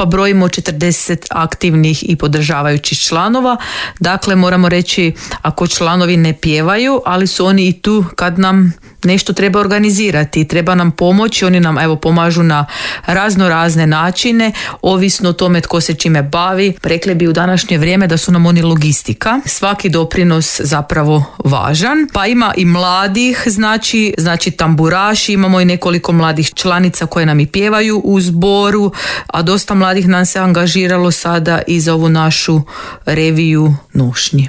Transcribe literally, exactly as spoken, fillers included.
skupa brojimo četrdeset aktivnih i podržavajućih članova. Dakle, moramo reći, ako članovi ne pjevaju, ali su oni i tu kad nam nešto treba organizirati, treba nam pomoći, oni nam evo pomažu na razno razne načine, ovisno o tome tko se čime bavi. Rekli bi u današnje vrijeme da su nam oni logistika. Svaki doprinos zapravo važan. Pa ima i mladih, znači, znači tamburaši, imamo i nekoliko mladih članica koje nam i pjevaju u zboru, a dosta mladih nam se angažiralo sada i za ovu našu reviju nošnji.